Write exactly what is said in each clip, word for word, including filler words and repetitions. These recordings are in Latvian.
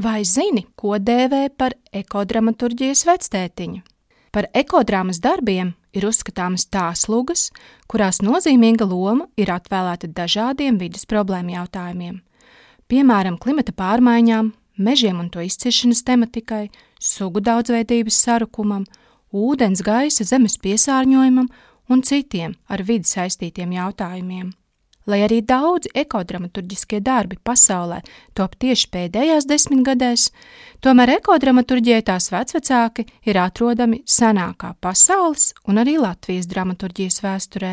Vai zini, ko dēvē par ekodramaturģijas vectētiņu? Par ekodrāmas darbiem ir uzskatāmas tās lugas, kurās nozīmīga loma ir atvēlēta dažādiem vides problēmu jautājumiem. Piemēram, klimata pārmaiņām, mežiem un to izciršanas tematikai, sugu daudzveidības sarukumam, ūdens, gaisa, zemes piesārņojumam un citiem ar vidi saistītiem jautājumiem. Lai arī daudzi ekodramaturģiskie darbi pasaulē top tieši pēdējās desmitgadēs, tomēr ekodramaturģijai tās vecvecāki ir atrodami senākā pasaules un arī Latvijas dramaturģijas vēsturē.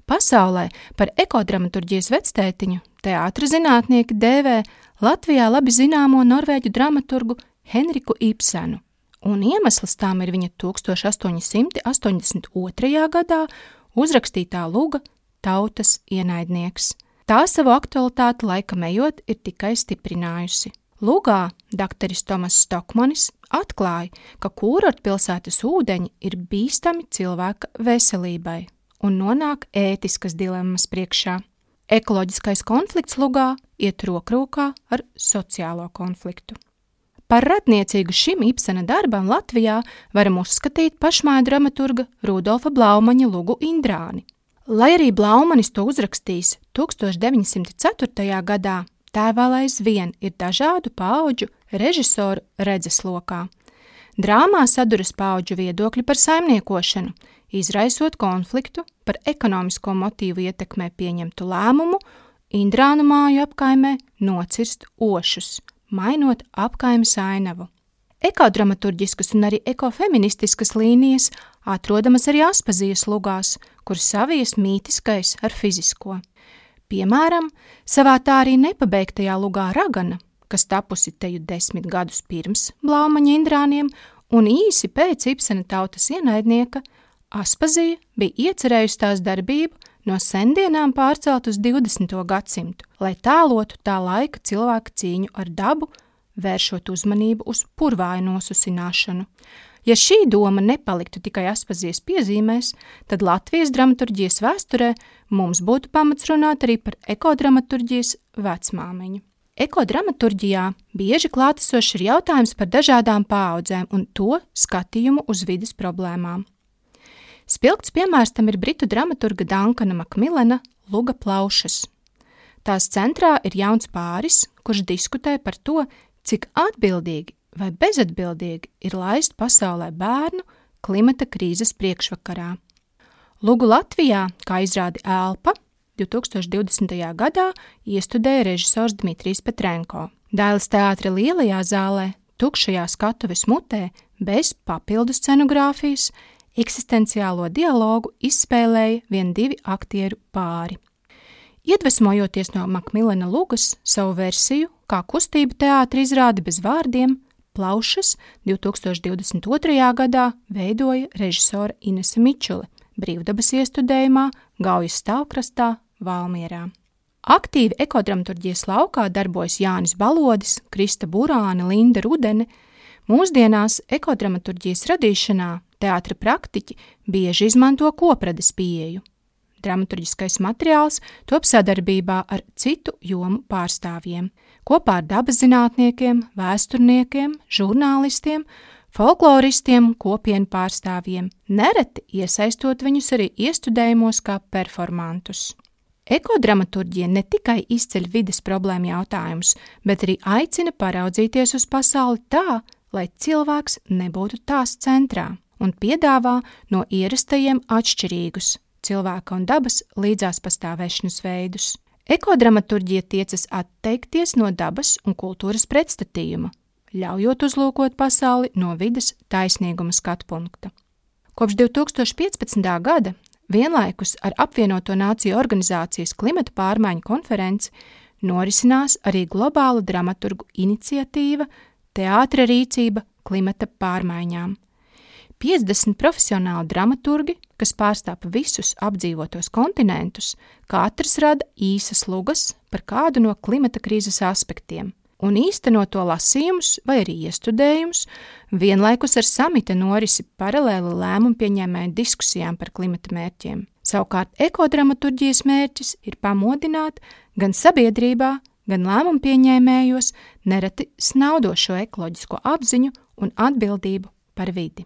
Pasaulē par ekodramaturģijas vectētiņu teātra zinātnieki dēvē Latvijā labi zināmo norvēģu dramaturgu Henriku Ibsenu, un iemesls tām ir viņa tūkstoš astoņi simti astoņdesmit otrajā gadā uzrakstītā luga Tautas ienaidnieks. Tā savu aktualitāti laikam ejot ir tikai stiprinājusi. Lugā dakteris Tomas Stokmanis atklāja, ka kūrortpilsētas ūdeņi ir bīstami cilvēka veselībai un nonāk ētiskas dilemmas priekšā. Ekoloģiskais konflikts lugā iet rokrokā ar sociālo konfliktu. Par radniecīgu šim Ibsena darbam Latvijā varam uzskatīt pašmāja dramaturga Rudolfa Blaumaņa lugu Indrāni. Lai arī Blaumanis to uzrakstījis tūkstoš deviņi simti ceturtajā gadā, tā vēl aizvien ir dažādu paudžu režisoru redzeslokā. Drāmā saduras paudžu viedokļi par saimniekošanu, izraisot konfliktu par ekonomisko motīvu ietekmē pieņemtu lēmumu Indrānu māju apkaimē nocirst ošus, mainot apkaimes ainavu. Ekodramaturģiskas un arī ekofeministiskas līnijas atrodamas arī Aspazijas lugās, kur savies mītiskais ar fizisko. Piemēram, savā tā arī nepabeigtajā lugā Ragana, kas tapusi teju desmit gadus pirms Blaumaņa Indrāniem un īsi pēc Ibsena Tautas ienaidnieka, Aspazija bija iecerējusi tās darbību no sendienām pārcelt uz divdesmito gadsimtu, lai tēlotu tā laika cilvēka cīņu ar dabu, vēršot uzmanību uz purvāju nosusināšanu. Ja šī doma nepaliktu tikai Aspazijas piezīmēs, tad Latvijas dramaturģijas vēsturē mums būtu pamats runāt arī par ekodramaturģijas vecmāmiņu. Ekodramaturģijā bieži klātesošs ir jautājums par dažādām paaudzēm un to skatījumu uz vides problēmām. Spilgts piemērs tam ir britu dramaturga Dankana Makmilena luga Plaušas. Tās centrā ir jauns pāris, kurš diskutē par to, cik atbildīgi vai bezatbildīgi ir laist pasaulē bērnu klimata krīzes priekšvakarā. Lugu Latvijā, kā izrādi Elpa, divtūkstoš divdesmitajā gadā iestudēja režisors Dmitrijs Petrenko. Dailes teātra lielajā zālē, tukšajā skatuves mutē, bez papildu scenogrāfijas, eksistenciālo dialogu izspēlēja vien divi aktieru pāri. Iedvesmojoties no Makmilena lugas, savu versiju, kā kustību teātra izrādi bez vārdiem, Plaušas divtūkstoš divdesmit otrajā gadā veidoja režisora Inese Mičule brīvdabas iestudējumā Gaujas stāvkrastā Valmierā. Aktīvi ekodramaturģijas laukā darbojas Jānis Balodis, Krista Burāne, Linda Rudene. Mūsdienās ekodramaturģijas radīšanā teātra praktiķi bieži izmanto koprades pieeju. Dramaturģiskais materiāls top sadarbībā ar citu jomu pārstāvjiem, kopā ar dabas zinātniekiem, vēsturniekiem, žurnālistiem, folkloristiem, kopienu pārstāvjiem, nereti iesaistot viņus arī iestudējumos kā performantus. Ekodramaturģija ne tikai izceļ vides problēmu jautājumus, bet arī aicina paraudzīties uz pasauli tā, lai cilvēks nebūtu tās centrā, un piedāvā no ierastajiem atšķirīgus cilvēka un dabas līdzās pastāvēšanas veidus. Ekodramaturģija tiecas atteikties no dabas un kultūras pretstatījuma, ļaujot uzlūkot pasauli no vides taisnīguma skatpunkta. Kopš divtūkstoš piecpadsmitā gada vienlaikus ar apvienoto nāciju organizācijas klimata pārmaiņu konferenci norisinās arī globāla dramaturgu iniciatīva Teātra rīcība klimata pārmaiņām. piecdesmit profesionāli dramaturgi, kas pārstāv visus apdzīvotos kontinentus, katrs rada īsas lugas par kādu no klimata krīzes aspektiem un īsteno to lasījumus vai arī iestudējumus, vienlaikus ar samita norisi paralēli lēmumu pieņēmēju diskusijām par klimata mērķiem. Savukārt ekodramaturģijas mērķis ir pamodināt gan sabiedrībā, gan lēmumu pieņēmējos nereti snaudošo ekoloģisko apziņu un atbildību par vidi.